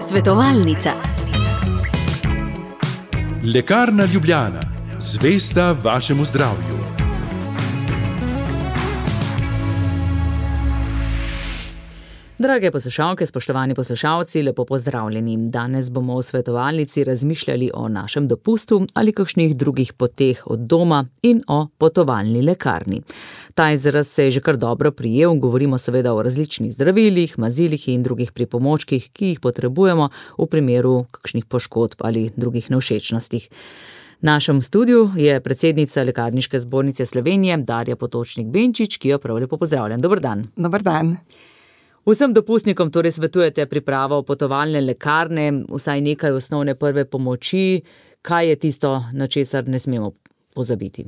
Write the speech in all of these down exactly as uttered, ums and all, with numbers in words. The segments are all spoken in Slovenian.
Svetovalnica. Lekarna Ljubljana, zvesta vašemu zdravju. Drage poslušalke, spoštovani poslušalci, lepo pozdravljeni. Danes bomo v svetovalnici razmišljali o našem dopustu ali kakšnih drugih poteh od doma in o potovalni lekarni. Ta izraz se je že kar dobro prijel, govorimo seveda o različnih zdravilih, mazilih in drugih pripomočkih, ki jih potrebujemo v primeru kakšnih poškodb ali drugih nevšečnostih. V našem studiu je predsednica Lekarniške zbornice Slovenije, Darja Potočnik Benčič, ki jo prav lepo pozdravljam. Dober dan. Dober dan. Vsem dopustnikom torej svetujete pripravo potovalne lekarne, vsaj nekaj osnovne prve pomoči. Kaj je tisto, na česar ne smemo pozabiti?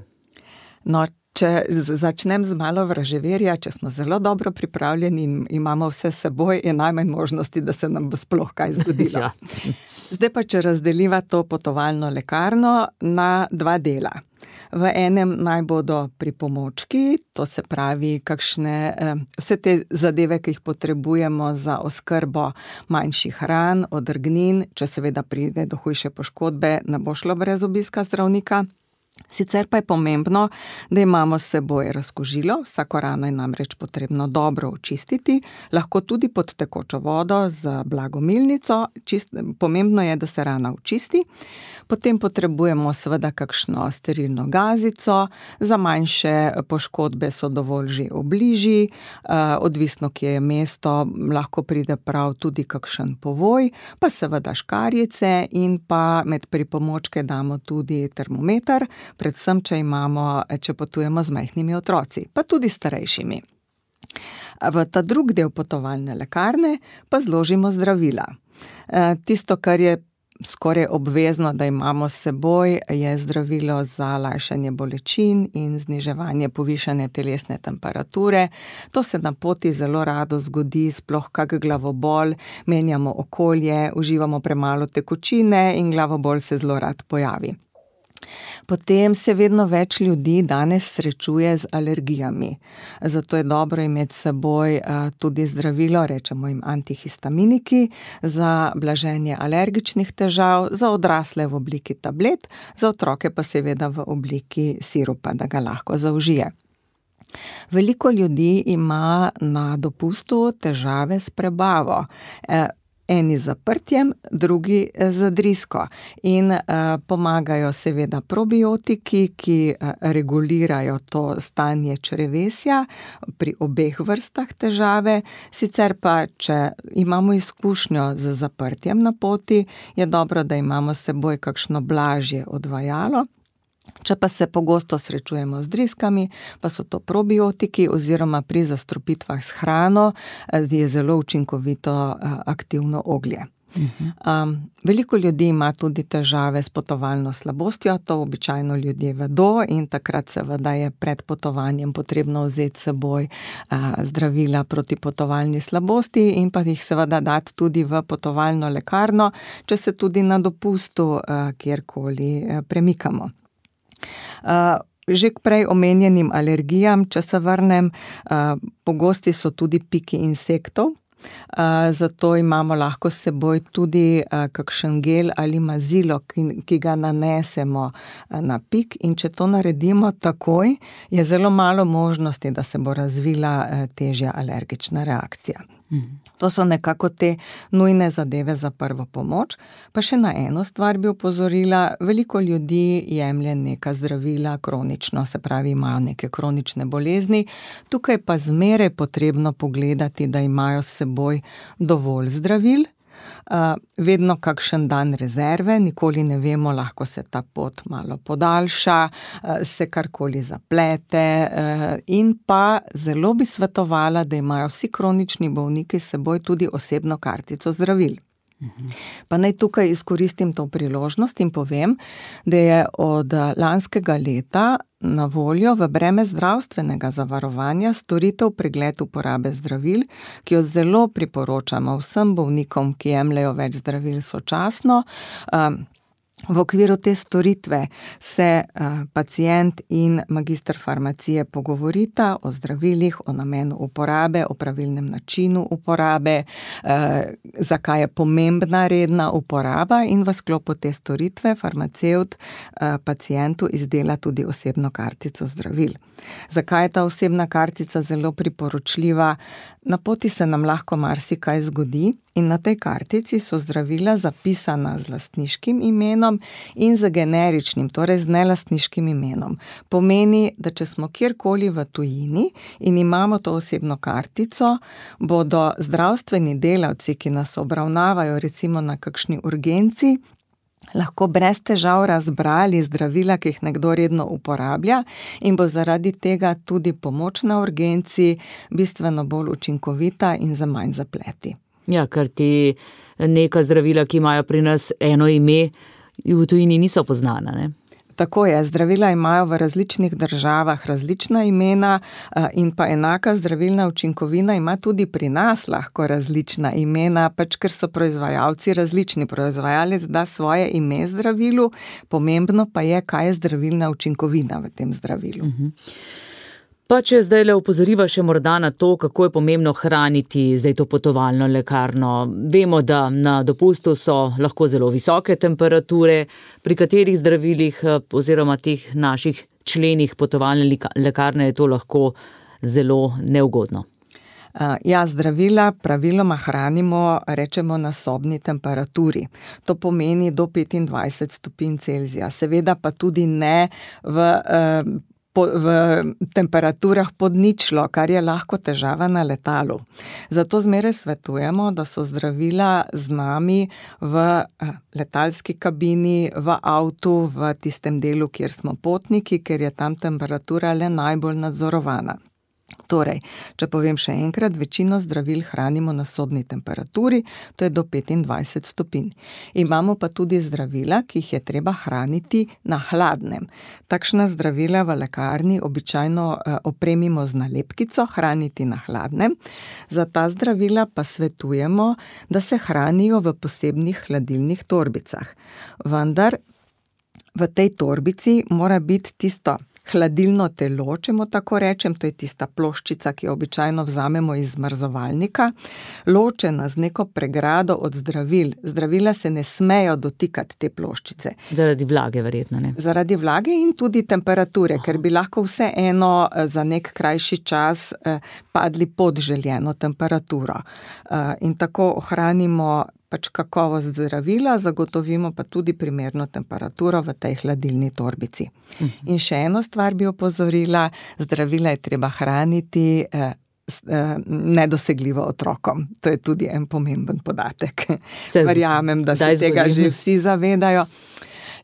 No, če začnem z malo vraževerja, če smo zelo dobro pripravljeni in imamo vse s seboj, je najmanj možnosti, da se nam bo sploh kaj zgodilo. Ja. Zdaj pa, če razdeliva to potovalno lekarno na dva dela. V enem naj bodo pripomočki, to se pravi kakšne, vse te zadeve, ki jih potrebujemo za oskrbo manjših ran, odrgnin, če seveda pride do hujše poškodbe, ne bo šlo brez obiska zdravnika. Sicer pa je pomembno, da imamo s seboj razkužilo, vsako rano je namreč potrebno dobro očistiti, lahko tudi pod tekočo vodo z blagomilnico, čist, pomembno je, da se rana očisti. Potem potrebujemo seveda kakšno sterilno gazico, za manjše poškodbe so dovolj že obliži, odvisno, kje je mesto, lahko pride prav tudi kakšen povoj, pa seveda škarjice in pa med pripomočke damo tudi termometer, predvsem, če imamo, če potujemo z majhnimi otroci, pa tudi starejšimi. V ta drug del potovalne lekarne pa zložimo zdravila. Tisto, kar je skoraj obvezno, da imamo s seboj, je zdravilo za lajšanje bolečin in zniževanje povišane telesne temperature. To se na poti zelo rado zgodi, sploh kak glavobol, menjamo okolje, uživamo premalo tekočine in glavobol se zelo rad pojavi. Potem se vedno več ljudi danes srečuje z alergijami. Zato je dobro imeti s seboj tudi zdravilo, rečemo jim antihistaminiki, za blaženje alergičnih težav, za odrasle v obliki tablet, za otroke pa seveda v obliki sirupa, da ga lahko zaužije. Veliko ljudi ima na dopustu težave s prebavo. Eni z zaprtjem, drugi z drisko. In uh, pomagajo seveda probiotiki, ki uh, regulirajo to stanje črevesja pri obeh vrstah težave. Sicer pa, če imamo izkušnjo z zaprtjem na poti, je dobro, da imamo s seboj kakšno blažje odvajalo. Če pa se pogosto srečujemo z driskami, pa so to probiotiki oziroma pri zastrupitvah s hrano je zelo učinkovito aktivno oglje. Uh-huh. Um, veliko ljudi ima tudi težave s potovalno slabostjo, to običajno ljudje vedo in takrat seveda je pred potovanjem potrebno vzeti s seboj uh, zdravila proti potovalni slabosti in pa jih seveda dati tudi v potovalno lekarno, če se tudi na dopustu uh, kjerkoli uh, premikamo. Uh, že k prej omenjenim alergijam, če se vrnem, uh, pogosti so tudi piki insektov, uh, zato imamo lahko s seboj tudi uh, kakšen gel ali mazilo, ki, ki ga nanesemo uh, na pik in če to naredimo takoj, je zelo malo možnosti, da se bo razvila uh, težja alergična reakcija. To so nekako te nujne zadeve za prvo pomoč. Pa še na eno stvar bi opozorila, veliko ljudi jemlje neka zdravila kronično, se pravi imajo neke kronične bolezni. Tukaj pa zmeraj potrebno pogledati, da imajo s seboj dovolj zdravil, Uh, vedno kakšen dan rezerve, nikoli ne vemo, lahko se ta pot malo podaljša, uh, se karkoli zaplete uh, in pa zelo bi svetovala, da imajo vsi kronični bolniki s seboj tudi osebno kartico zdravil. Pa naj tukaj izkoristim to priložnost in povem, da je od lanskega leta na voljo v breme zdravstvenega zavarovanja storitev pregled uporabe zdravil, ki jo zelo priporočamo vsem bolnikom, ki jemljejo več zdravil sočasno. V okviru te storitve se uh, pacient in magister farmacije pogovorita o zdravilih, o namenu uporabe, o pravilnem načinu uporabe, uh, zakaj je pomembna redna uporaba, in v sklopu te storitve farmacevt uh, pacientu izdela tudi osebno kartico zdravil. Zakaj je ta osebna kartica zelo priporočljiva? Na poti se nam lahko marsikaj zgodi in na tej kartici so zdravila zapisana z lastniškim imenom in z generičnim, torej z nelastniškim imenom. Pomeni, da če smo kjerkoli v tujini in imamo to osebno kartico, bodo zdravstveni delavci, ki nas obravnavajo recimo na kakšni urgenci, lahko brez težav razbrali zdravila, ki jih nekdo redno uporablja, in bo zaradi tega tudi pomoč na urgenci bistveno bolj učinkovita in za manj zapleti. Ja, ker ti neka zdravila, ki imajo pri nas eno ime, v tujini niso poznana, ne? Tako je, zdravila imajo v različnih državah različna imena in pa enaka zdravilna učinkovina ima tudi pri nas lahko različna imena, pač ker so proizvajalci različni. Proizvajalec da svoje ime zdravilu, pomembno pa je, kaj je zdravilna učinkovina v tem zdravilu. Uh-huh. Pa če zdaj le opozoriva še morda na to, kako je pomembno hraniti zdaj to potovalno lekarno. Vemo, da na dopustu so lahko zelo visoke temperature, pri katerih zdravilih oziroma teh naših členih potovalne lekarne je to lahko zelo neugodno. Ja, zdravila praviloma hranimo, rečemo, na sobni temperaturi. To pomeni do petindvajset stopinj Celzija. Seveda pa tudi ne v Po, v temperaturah pod ničlo, kar je lahko težava na letalu. Zato zmeraj svetujemo, da so zdravila z nami v letalski kabini, v avtu, v tistem delu, kjer smo potniki, ker je tam temperatura le najbolj nadzorovana. Torej, če povem še enkrat, večino zdravil hranimo na sobni temperaturi, to je do petindvajset stopinj. Imamo pa tudi zdravila, ki jih je treba hraniti na hladnem. Takšna zdravila v lekarni običajno opremimo z nalepkico, hraniti na hladnem. Za ta zdravila pa svetujemo, da se hranijo v posebnih hladilnih torbicah. Vendar v tej torbici mora biti tisto hladilno telo, če mu tako rečem, to je tista ploščica, ki jo običajno vzamemo iz zmrzovalnika, ločena z neko pregrado od zdravil. Zdravila se ne smejo dotikati te ploščice. Zaradi vlage verjetno, ne? Zaradi vlage in tudi temperature, Aha. ker bi lahko vseeno za nek krajši čas padli pod željeno temperaturo. In tako ohranimo pač kakovost zdravila, zagotovimo pa tudi primerno temperaturo v tej hladilni torbici. Uh-huh. In še eno stvar bi opozorila, zdravila je treba hraniti eh, eh, nedosegljivo otrokom. To je tudi en pomemben podatek. Se Verjamem, da se tega že vsi zavedajo.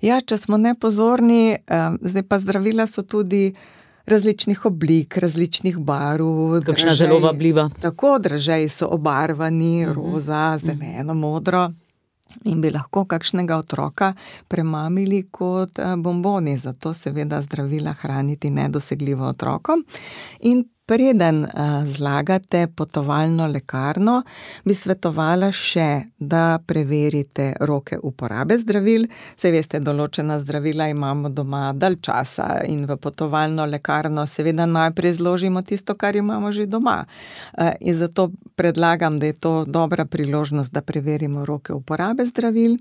Ja, če smo nepozorni, eh, zdaj pa zdravila so tudi različnih oblik, različnih barv. Kakšna dražej, zelo vabljiva. Tako, dražeji so obarvani, uh-huh. roza, zeleno, modro. In bi lahko kakšnega otroka premamili kot bomboni. Zato seveda zdravila hraniti nedosegljivo otrokom. In preden zlagate potovalno lekarno, bi svetovala še, da preverite roke uporabe zdravil. Saj veste, določena zdravila imamo doma dalj časa in v potovalno lekarno seveda najprej zložimo tisto, kar imamo že doma. In zato predlagam, da je to dobra priložnost, da preverimo roke uporabe zdravil.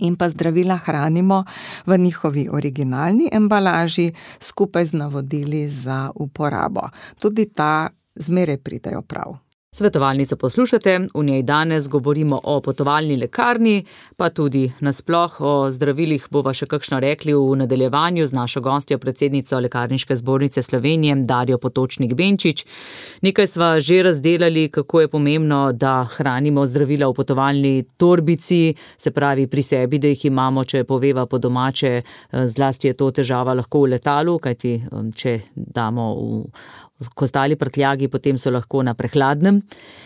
In pa zdravila hranimo v njihovi originalni embalaži skupaj z navodili za uporabo. Tudi ta zmeraj pridejo prav. Svetovalnico poslušate, v njej danes govorimo o potovalni lekarni, pa tudi nasploh o zdravilih bova še kakšno rekli v nadaljevanju z našo gostjo, predsednico Lekarniške zbornice Slovenije, Darjo Potočnik Benčič. Nekaj sva že razdelali, kako je pomembno, da hranimo zdravila v potovalni torbici, se pravi pri sebi, da jih imamo, če poveva po domače, zlasti je to težava lahko v letalu, kajti če damo v kostali prtljagi, potem so lahko na prehladnem.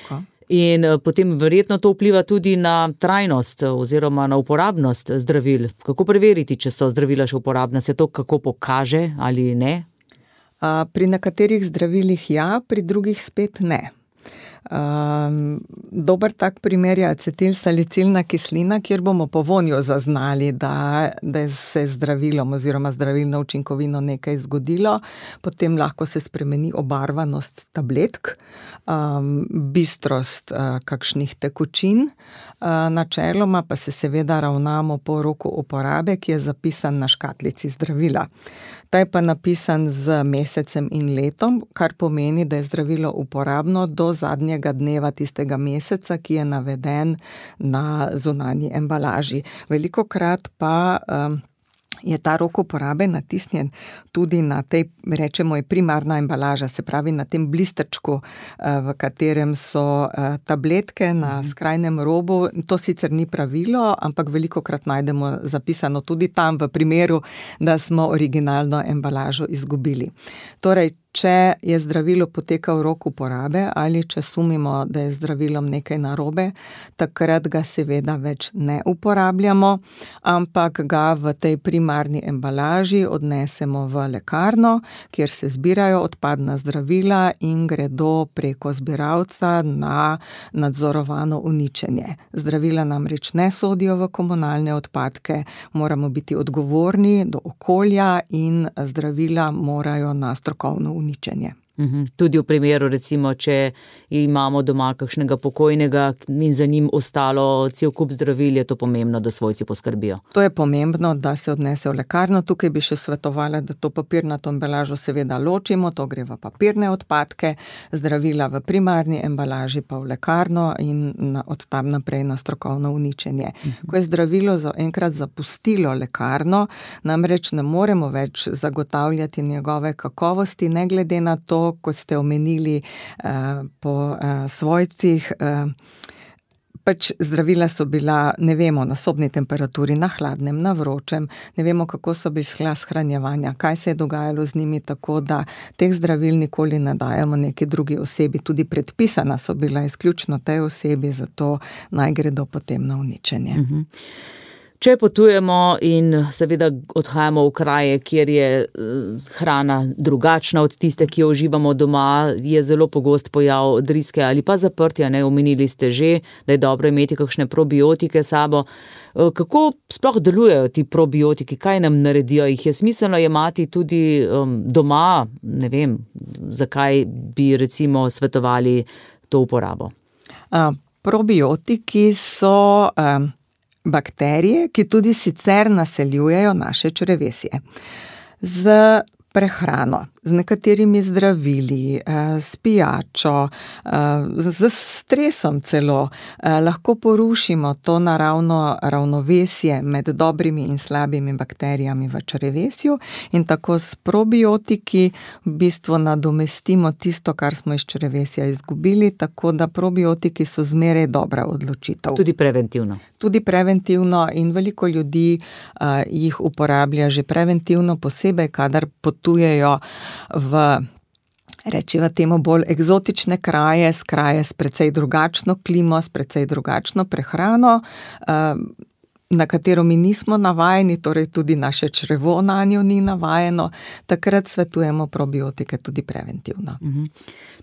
Ka? In potem verjetno to vpliva tudi na trajnost oziroma na uporabnost zdravil. Kako preveriti, če so zdravila še uporabna? Se to kako pokaže ali ne? Pri nekaterih zdravilih ja, pri drugih spet ne. Um, dober tak primer je acetilsalicilna kislina, kjer bomo po vonju zaznali, da, da se je zdravilom oziroma zdravilno učinkovino nekaj zgodilo. Potem lahko se spremeni obarvanost tabletk, um, bistrost uh, kakšnih tekočin. Uh, načeloma pa se seveda ravnamo po roku uporabe, ki je zapisan na škatlici zdravila. Ta je pa napisan z mesecem in letom, kar pomeni, da je zdravilo uporabno do zadnjega dneva tistega meseca, ki je naveden na zunanji embalaži. Velikokrat pa um, je ta rok uporabe natisnjen tudi na tej, rečemo, je primarna embalaža, se pravi na tem blisterčku, v katerem so tabletke na skrajnem robu. To sicer ni pravilo, ampak velikokrat najdemo zapisano tudi tam v primeru, da smo originalno embalažo izgubili. Torej, če je zdravilo potekal rok uporabe ali če sumimo, da je zdravilom nekaj narobe, takrat ga seveda več ne uporabljamo, ampak ga v tej primarni embalaži odnesemo v lekarno, kjer se zbirajo odpadna zdravila in gredo preko zbiralca na nadzorovano uničenje. Zdravila namreč ne sodijo v komunalne odpadke, moramo biti odgovorni do okolja in zdravila morajo na strokovno uničenje. Uničenje. Tudi v primeru, recimo, če imamo doma kakšnega pokojnega in za njim ostalo cel kup zdravil, je to pomembno, da svojci poskrbijo. To je pomembno, da se odnese v lekarno. Tukaj bi še svetovala, da to papirnato embalažo seveda ločimo, to gre v papirne odpadke, zdravila v primarni embalaži pa v lekarno in na, od tam naprej na strokovno uničenje. Uh-huh. Ko je zdravilo za enkrat zapustilo lekarno, namreč ne moremo več zagotavljati njegove kakovosti, ne glede na to, kot ste omenili uh, po uh, svojcih, uh, pač zdravila so bila, ne vemo, na sobni temperaturi, na hladnem, na vročem, ne vemo, kako so bili shranjevanja, kaj se je dogajalo z njimi, tako da teh zdravil nikoli ne dajemo neki drugi osebi, tudi predpisana so bila izključno tej osebi, zato naj gredo potem na uničenje. Mhm. Če potujemo in seveda odhajamo v kraje, kjer je hrana drugačna od tiste, ki jo uživamo doma, je zelo pogost pojav driske ali pa zaprtja, ne, omenili ste že, da je dobro imeti kakšne probiotike s sabo. Kako sploh delujejo ti probiotiki, kaj nam naredijo? Jih je smiselno jemati tudi um, doma, ne vem, zakaj bi recimo svetovali to uporabo? A, probiotiki so... Um... bakterije, ki tudi sicer naseljujejo naše črevesje. Z prehrano, z nekaterimi zdravili, s pijačo, z stresom celo, lahko porušimo to naravno ravnovesje med dobrimi in slabimi bakterijami v črevesju in tako s probiotiki v bistvu nadomestimo tisto, kar smo iz črevesja izgubili, tako da probiotiki so zmeraj dobra odločitev. Tudi preventivno. Tudi preventivno in veliko ljudi uh, jih uporablja že preventivno, posebej, kadar potujejo v, rečiva temu, bolj eksotične kraje, s kraje s precej drugačno klimo, s precej drugačno prehrano, uh, na katero mi nismo navajeni, torej tudi naše črevo na njo ni navajeno, takrat svetujemo probiotike tudi preventivno. Mhm.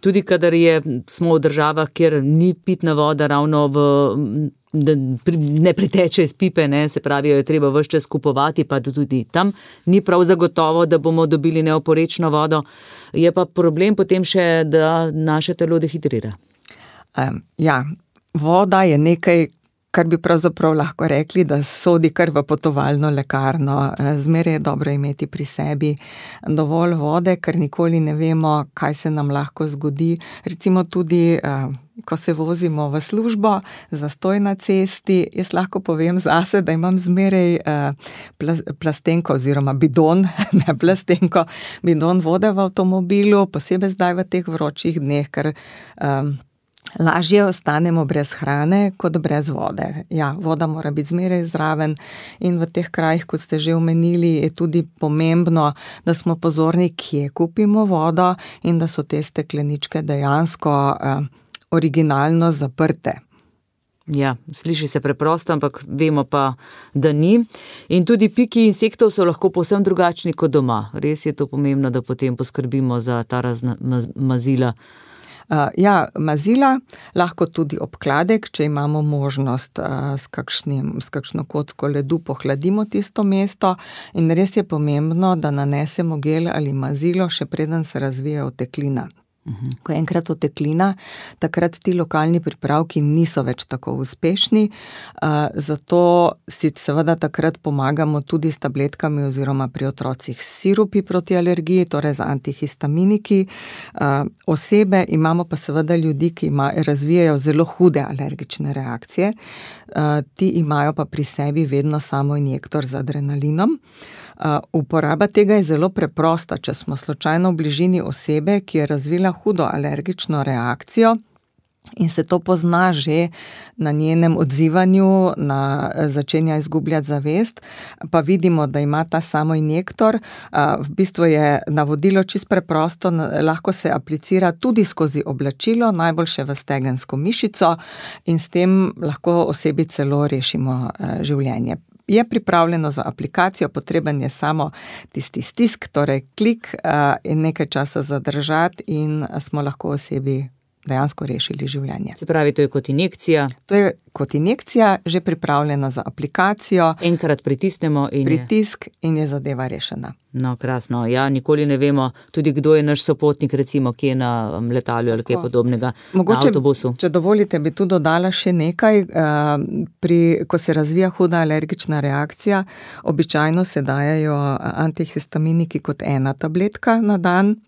Tudi kadar je, smo v državah, kjer ni pitna voda ravno v... da ne priteče iz pipe, ne, se pravi, jo je treba ves čas kupovati, pa tudi tam ni prav zagotovo, da bomo dobili neoporečno vodo. Je pa problem potem še, da naše telo dehidrira. Um, ja, voda je nekaj, kar bi pravzaprav lahko rekli, da sodi kar v potovalno lekarno. Zmeraj je dobro imeti pri sebi dovolj vode, ker nikoli ne vemo, kaj se nam lahko zgodi. Recimo tudi, ko se vozimo v službo, zastoj na cesti, jaz lahko povem zase, da imam zmeraj plastenko oziroma bidon, ne plastenko, bidon vode v avtomobilu, posebej zdaj v teh vročih dneh, ker um, lažje ostanemo brez hrane, kot brez vode. Ja, voda mora biti zmeraj zraven in v teh krajih, kot ste že omenili, je tudi pomembno, da smo pozorni, kje kupimo vodo in da so te stekleničke dejansko eh, originalno zaprte. Ja, sliši se preprosto, ampak vemo pa, da ni. In tudi piki insektov so lahko povsem drugačni kot doma. Res je to pomembno, da potem poskrbimo za ta razna mazila. Uh, ja, mazila, lahko tudi obkladek, če imamo možnost uh, s, kakšnim, s kakšno kocko ledu pohladimo tisto mesto in res je pomembno, da nanesemo gel ali mazilo, še preden se razvije oteklina. Uhum. Ko je enkrat oteklina, takrat ti lokalni pripravki niso več tako uspešni, uh, zato si seveda takrat pomagamo tudi s tabletkami oziroma pri otrocih s sirupi proti alergiji, torej z antihistaminiki. Uh, osebe imamo pa seveda ljudi, ki ima, razvijajo zelo hude alergične reakcije, uh, ti imajo pa pri sebi vedno samo injektor z adrenalinom. Uh, uporaba tega je zelo preprosta, če smo slučajno v bližini osebe, ki je razvila hudo alergično reakcijo in se to pozna že na njenem odzivanju, na začenja izgubljati zavest, pa vidimo, da ima ta samo injektor. Uh, v bistvu je navodilo čisto preprosto, lahko se aplicira tudi skozi oblačilo, najboljše v stegensko mišico in s tem lahko osebi celo rešimo uh, življenje. Je pripravljeno za aplikacijo, potreben je samo tisti stisk, torej klik uh, in nekaj časa zadržati in smo lahko osebi dejansko rešili življenje. Se pravi, to je kot injekcija? To je kot injekcija, že pripravljena za aplikacijo. Enkrat pritisnemo in Pritisk je... in je zadeva rešena. No, krasno. Ja, nikoli ne vemo tudi, kdo je naš sopotnik, recimo, ki je na letalju ali kaj podobnega, Mogoče, na avtobusu. Če dovolite, bi tu dodala še nekaj. Pri, ko se razvija huda alergična reakcija, običajno se dajajo antihistaminiki kot ena tabletka na dan,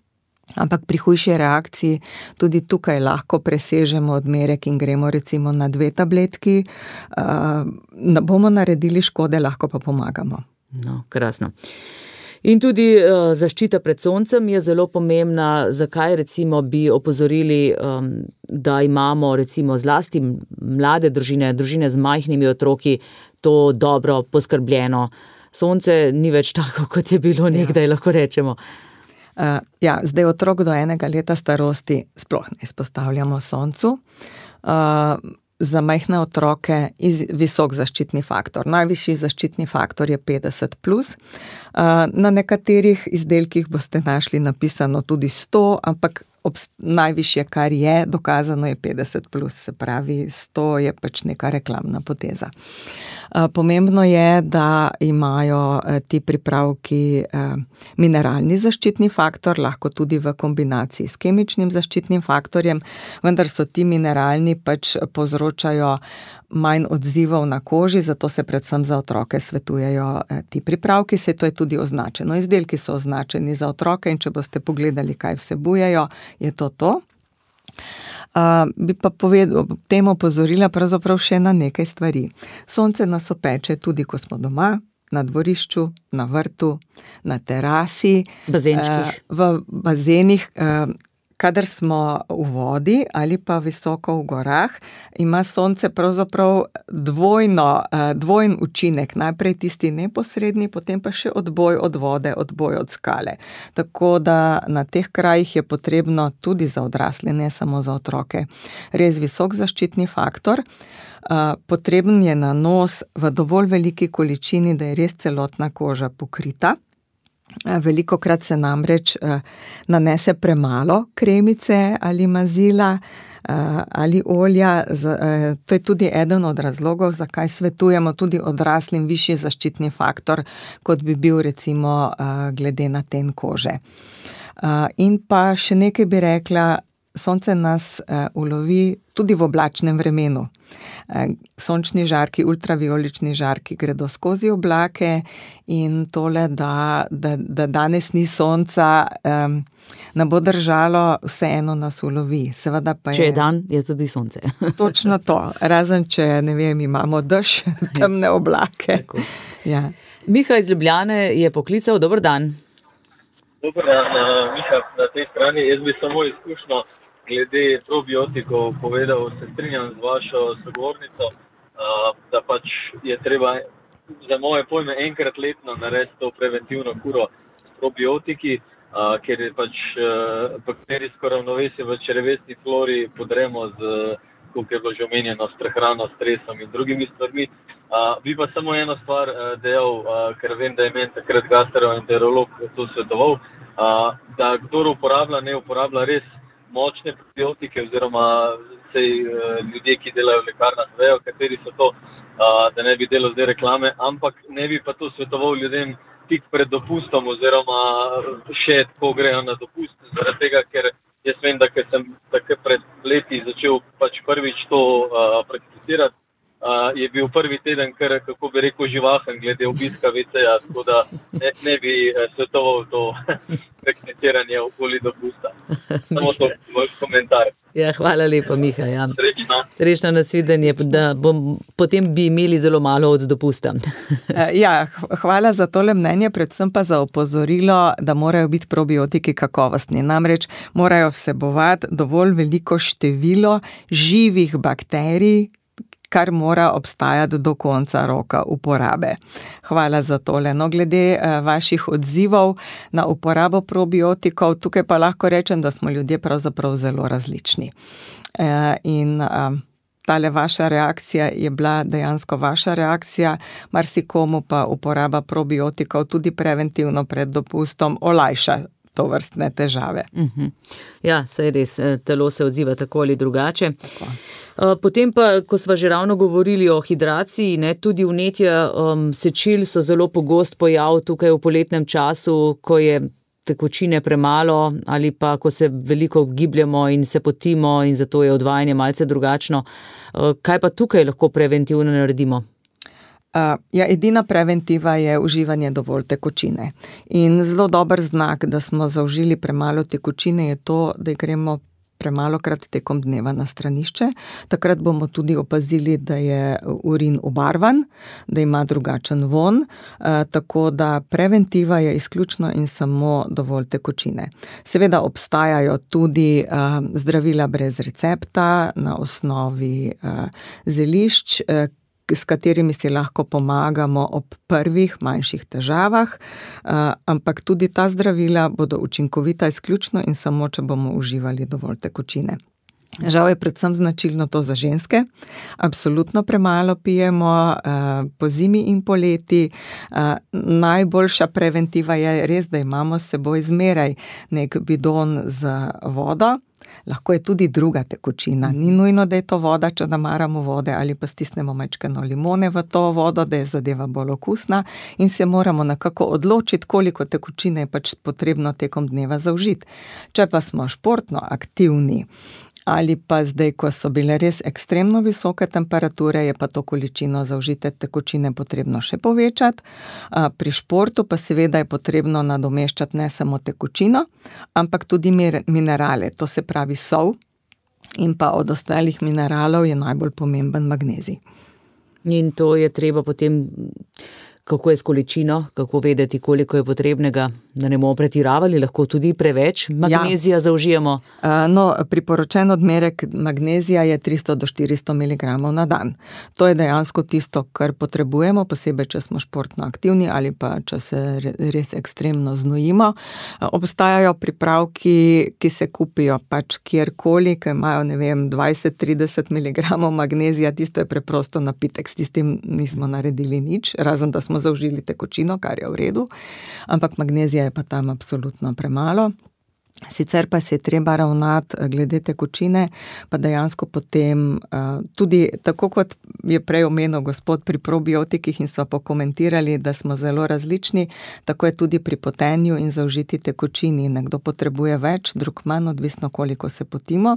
ampak pri hujši reakciji tudi tukaj lahko presežemo odmerek in gremo recimo na dve tabletki. Ne bomo naredili škode, lahko pa pomagamo. No, krasno. In tudi uh, zaščita pred soncem je zelo pomembna. Zakaj recimo bi opozorili, um, da imamo recimo zlasti mlade družine, družine z majhnimi otroki, to dobro poskrbljeno. Sonce ni več tako, kot je bilo nekdaj, ja. Lahko rečemo. Uh, ja, zdaj otrok do enega leta starosti sploh ne izpostavljamo soncu. Uh, za majhne otroke iz, visok zaščitni faktor. Najvišji zaščitni faktor je petdeset plus. Uh, na nekaterih izdelkih boste našli napisano tudi sto, ampak ob najvišje, kar je dokazano, je petdeset plus, se pravi sto je pač neka reklamna poteza. Pomembno je, da imajo ti pripravki mineralni zaščitni faktor, lahko tudi v kombinaciji s kemičnim zaščitnim faktorjem, vendar so ti mineralni pač povzročajo manj odzivov na koži, zato se predvsem za otroke svetujejo ti pripravki, se to je tudi označeno. Izdelki so označeni za otroke in če boste pogledali, kaj vsebujejo, je to to. Uh, bi pa povedal, temu opozorila pravzaprav še na nekaj stvari. Sonce nas opeče tudi, ko smo doma, na dvorišču, na vrtu, na terasi, bazenčkih. Uh, v bazenih, uh, kadar smo v vodi ali pa visoko v gorah, ima sonce pravzaprav dvojno, dvojen učinek. Najprej tisti neposredni, potem pa še odboj od vode, odboj od skale. Tako da na teh krajih je potrebno tudi za odrasle, ne samo za otroke, res visok zaščitni faktor. Potreben je nanos v dovolj veliki količini, da je res celotna koža pokrita. Veliko krat se namreč nanese premalo kremice ali mazila ali olja. To je tudi eden od razlogov, zakaj svetujemo tudi odraslim višji zaščitni faktor, kot bi bil recimo glede na ten kože. In pa še nekaj bi rekla, sonce nas ulovi tudi v oblačnem vremenu. Sončni žarki, ultraviolični žarki gredo skozi oblake in tole, da, da, da danes ni sonca, um, ne bo držalo, vseeno nas ulovi. Seveda pa je, če je dan, je tudi sonce. Točno to, razen če, ne vem, imamo dež, temne oblake. Ja. Miha iz Ljubljane je poklical, dober dan. Dober dan, Miha, na tej strani, jaz bi samo izkušnjo glede probiotikov povedal, se strinjam z vašo sogovornico, da pač je treba za moje pojme enkrat letno narediti to preventivno kuro s probiotiki, ker je pač bakterijsko ravnovesje v črevesni flori podremo z, kot je bilo že omenjeno, s prehrano, stresom in drugimi stvarmi. Bi pa samo eno stvar dejal, ker vem, da je meni takrat gastroenterolog to svetoval, da kdor uporablja, ne uporablja res močne probiotike oziroma sej, ljudje, ki delajo v lekarnah, vejo, kateri so to, da ne bi delal zdaj reklame, ampak ne bi pa to svetoval ljudem tik pred dopustom oziroma še tako grejo na dopust, zaradi tega, ker jaz vem, da ker sem tako pred leti začel pač prvič to uh, prakticirati, uh, je bil prvi teden, kar, kako bi rekel, živahen glede obiska ve ce-ja, tako da ne, ne bi svetoval to prakticiranje okoli dopusta. Samo to moj komentar. Ja, hvala lepa, Miha. Ja. Srečno. Srečno nasvidenje, da bom, potem bi imeli zelo malo od dopusta. Ja, hvala za tole mnenje, predvsem pa za opozorilo, da morajo biti probiotiki kakovostni. Namreč morajo vsebovati dovolj veliko število živih bakterij, kar mora obstajati do konca roka uporabe. Hvala za tole. No, glede vaših odzivov na uporabo probiotikov, tukaj pa lahko rečem, da smo ljudje pravzaprav zelo različni. In tale vaša reakcija je bila dejansko vaša reakcija, marsikomu pa uporaba probiotikov tudi preventivno pred dopustom olajša to vrstne težave. Uh-huh. Ja, saj res, telo se odziva tako ali drugače. Tako. Potem pa, ko sva že ravno govorili o hidraciji, ne, tudi vnetja um, sečil so zelo pogost pojav tukaj v poletnem času, ko je tekočine premalo ali pa ko se veliko gibljamo in se potimo in zato je odvajanje malce drugačno. Kaj pa tukaj lahko preventivno naredimo? Uh, ja, edina preventiva je uživanje dovolj tekočine. In zelo dober znak, da smo zaužili premalo tekočine, je to, da gremo premalokrat tekom dneva na stranišče. Takrat bomo tudi opazili, da je urin obarvan, da ima drugačen von, uh, tako da preventiva je izključno in samo dovolj tekočine. Seveda obstajajo tudi uh, zdravila brez recepta na osnovi uh, zelišč, uh, s katerimi si lahko pomagamo ob prvih manjših težavah, ampak tudi ta zdravila bodo učinkovita izključno in samo, če bomo uživali dovolj tekočine. Žal je predvsem značilno to za ženske. Absolutno premalo pijemo po zimi in poleti. Najboljša preventiva je res, da imamo s seboj zmeraj nek bidon z vodo. Lahko je tudi druga tekočina. Ni nujno, da je to voda, če namaramo vode ali pa stisnemo majčkeno limone v to vodo, da je zadeva bolj okusna in se moramo nekako odločiti, koliko tekočine je pač potrebno tekom dneva zaužiti. Če pa smo športno aktivni ali pa zdaj, ko so bile res ekstremno visoke temperature, je pa to količino zaužite tekočine potrebno še povečati. Pri športu pa seveda je potrebno nadomeščati ne samo tekočino, ampak tudi minerale, to se pravi sol, in pa od ostalih mineralov je najbolj pomemben magnezij. In to je treba potem, kako je s količino, kako vedeti, koliko je potrebnega, da ne bomo pretiravali, lahko tudi preveč magnezija ja. zaužijemo? No, priporočen odmerek magnezija je tristo do štiristo miligramov na dan. To je dejansko tisto, kar potrebujemo, posebej, če smo športno aktivni ali pa, če se res ekstremno znojimo. Obstajajo pripravki, ki se kupijo pač kjerkoli, ki imajo, ne vem, dvajset do trideset miligramov magnezija, tisto je preprosto napitek, s tistim nismo naredili nič, razen da smo zaužili tekočino, kar je v redu, ampak magnezija je pa tam absolutno premalo. Sicer pa se je treba ravnati glede tekočine, pa dejansko potem tudi, tako kot je prej omenil gospod pri probiotikih in sva pokomentirali, da smo zelo različni, tako je tudi pri potenju in zaužiti tekočini. Nekdo potrebuje več, drug manj, odvisno koliko se potimo.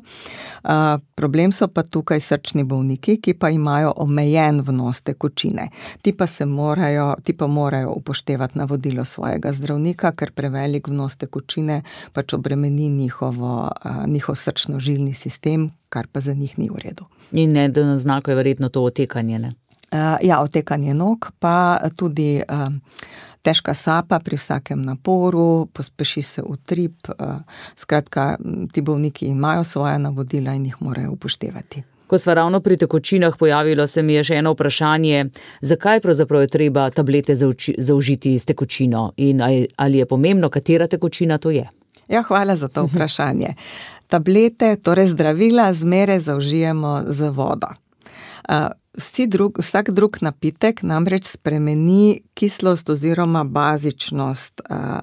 Problem so pa tukaj srčni bolniki, ki pa imajo omejen vnos tekočine. Ti pa se morajo, ti pa morajo upoštevati navodilo svojega zdravnika, ker prevelik vnos tekočine pač obremeni njihovo, njihov srčno-žilni sistem, kar pa za njih ni v redu. In ne, da na znaku je verjetno to otekanje, ne? Ja, otekanje nog, pa tudi težka sapa pri vsakem naporu, pospeši se utrip, skratka, ti bolniki imajo svoja navodila in jih morajo upoštevati. Ko sva ravno pri tekočinah, pojavilo se mi je še eno vprašanje, zakaj pravzaprav je treba tablete zaužiti s tekočino in ali je pomembno, katera tekočina to je? Ja, hvala za to vprašanje. Tablete, torej zdravila, zmeraj zaužijemo z vodo. Vsi drug, vsak drug napitek namreč spremeni kislost oziroma bazičnost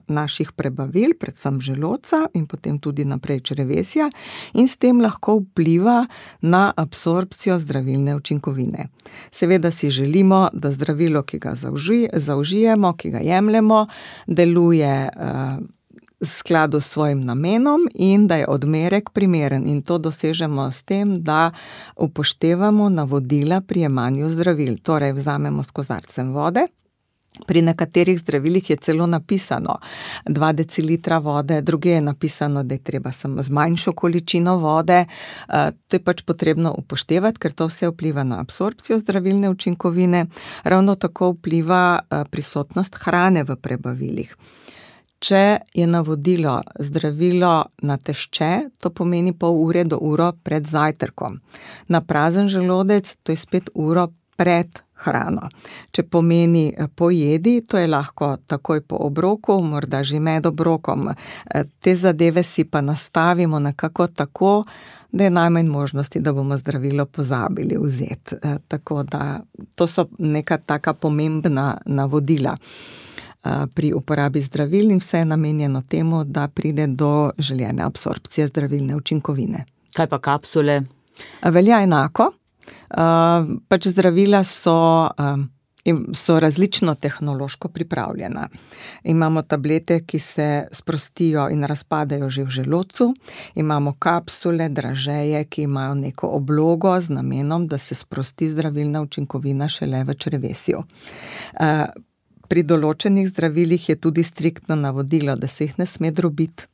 naših prebavil, predvsem želodca in potem tudi naprej črevesja, in s tem lahko vpliva na absorpcijo zdravilne učinkovine. Seveda si želimo, da zdravilo, ki ga zauži, zaužijemo, ki ga jemljemo, deluje v skladu s svojim namenom in da je odmerek primeren, in to dosežemo s tem, da upoštevamo navodila pri jemanju zdravil. Torej vzamemo s kozarcem vode. Pri nekaterih zdravilih je celo napisano dva decilitra vode, druge je napisano, da je treba samo z manjšo količino vode. To je pač potrebno upoštevati, ker to vse vpliva na absorpcijo zdravilne učinkovine. Ravno tako vpliva prisotnost hrane v prebavilih. Če je navodilo zdravilo na tešče, to pomeni pol ure do uro pred zajtrkom. Na prazen želodec, to je spet uro pred hrano. Če pomeni po jedi, to je lahko takoj po obroku, morda že med obrokom. Te zadeve si pa nastavimo nekako tako, da je najmanj možnosti, da bomo zdravilo pozabili vzeti. Tako da to so neka taka pomembna navodila pri uporabi zdravil in vse je namenjeno temu, da pride do željene absorpcije zdravilne učinkovine. Kaj pa kapsule? Velja enako. Pač zdravila so, so različno tehnološko pripravljena. Imamo tablete, ki se sprostijo in razpadajo že v želodcu. Imamo kapsule, dražeje, ki imajo neko oblogo z namenom, da se sprosti zdravilna učinkovina šele v črevesju. Pri določenih zdravilih je tudi striktno navodilo, da se jih ne sme drobiti,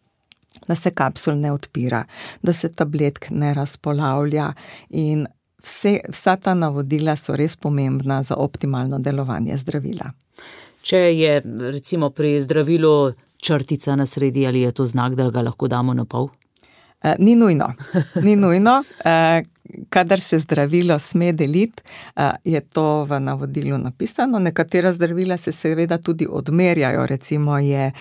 da se kapsul ne odpira, da se tabletk ne razpolavlja in vse, vsa ta navodila so res pomembna za optimalno delovanje zdravila. Če je recimo pri zdravilu črtica na sredi, ali je to znak, da ga lahko damo na pol? Ni nujno, ni nujno. Kadar se zdravilo sme deliti, je to v navodilu napisano. Nekatera zdravila se seveda tudi odmerjajo, recimo je,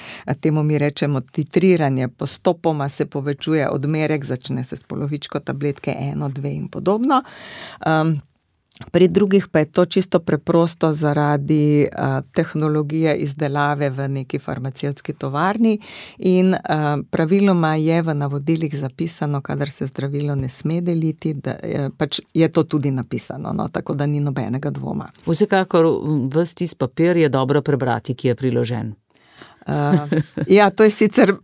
temu mi rečemo titriranje, postopoma se povečuje odmerek, začne se s polovičko tabletke, eno, dve in podobno. Pri drugih pa je to čisto preprosto zaradi uh, tehnologije izdelave v neki farmacevtski tovarni in uh, praviloma je v navodilih zapisano, kadar se zdravilo ne sme deliti, da je, pač je to tudi napisano, no, tako da ni nobenega dvoma. Vsekakor ves tisti papir je dobro prebrati, ki je priložen. Uh, ja, to je sicer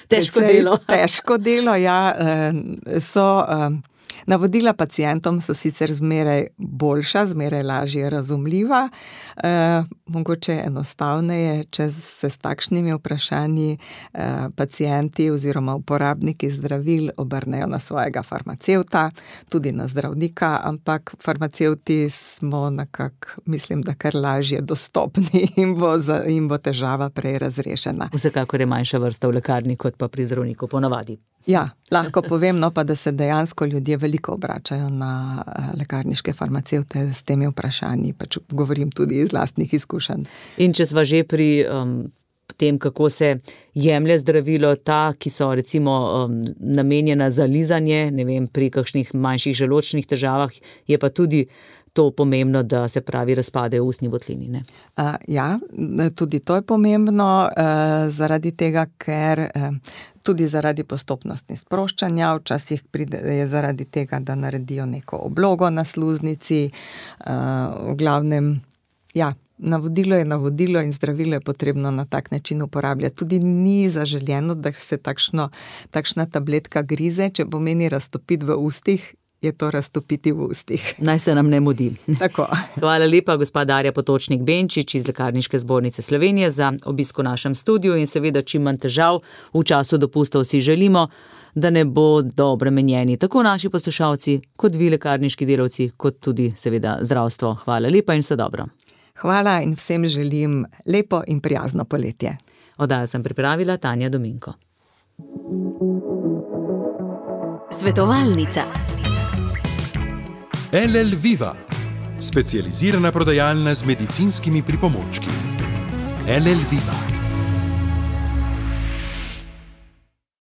težko delo. Težko delo, ja, so... Uh, Navodila pacientom so sicer zmeraj boljša, zmeraj lažje razumljiva, e, mogoče enostavneje, če se s takšnimi vprašanji e, pacienti oziroma uporabniki zdravil obrnejo na svojega farmacevta, tudi na zdravnika, ampak farmacevti smo nekako, mislim, da kar lažje dostopni in bo, za, in bo težava prej razrešena. Vsekakor je manjša vrsta v lekarni, kot pa pri zdravniku ponavadi. Ja, lahko povem, no pa da se dejansko ljudje veliko obračajo na lekarniške farmacevte s temi vprašanji, pač govorim tudi iz lastnih izkušenj. In če sva že pri um, tem, kako se jemlje zdravilo, ta, ki so recimo um, namenjena za lizanje, ne vem, pri kakšnih manjših želodčnih težavah, je pa tudi to pomembno, da se pravi razpadejo ustni votlini, ne? Uh, ja, tudi to je pomembno, uh, zaradi tega, ker uh, tudi zaradi postopnosti sproščanja, včasih pride je zaradi tega, da naredijo neko oblogo na sluznici, uh, v glavnem, ja, navodilo je navodilo in zdravilo je potrebno na tak način uporabljati. Tudi ni zaželjeno, da se takšno, takšna tabletka grize, če pomeni raztopiti v ustih, je to raztopiti v ustih. Naj se nam ne mudi. Tako. Hvala lepa, gospa Darja Potočnik-Benčič iz Lekarniške zbornice Slovenije za obisk v našem studiu in seveda čim manj težav v času dopustov si želimo, da ne bo dobro menjeni tako naši poslušalci, kot vi lekarniški delavci, kot tudi seveda zdravstvo. Hvala lepa in vse dobro. Hvala in vsem želim lepo in prijazno poletje. Oddajo sem pripravila Tanja Dominko. Svetovalnica. L L Viva, specializirana prodajalna z medicinskimi pripomočki. L L Viva.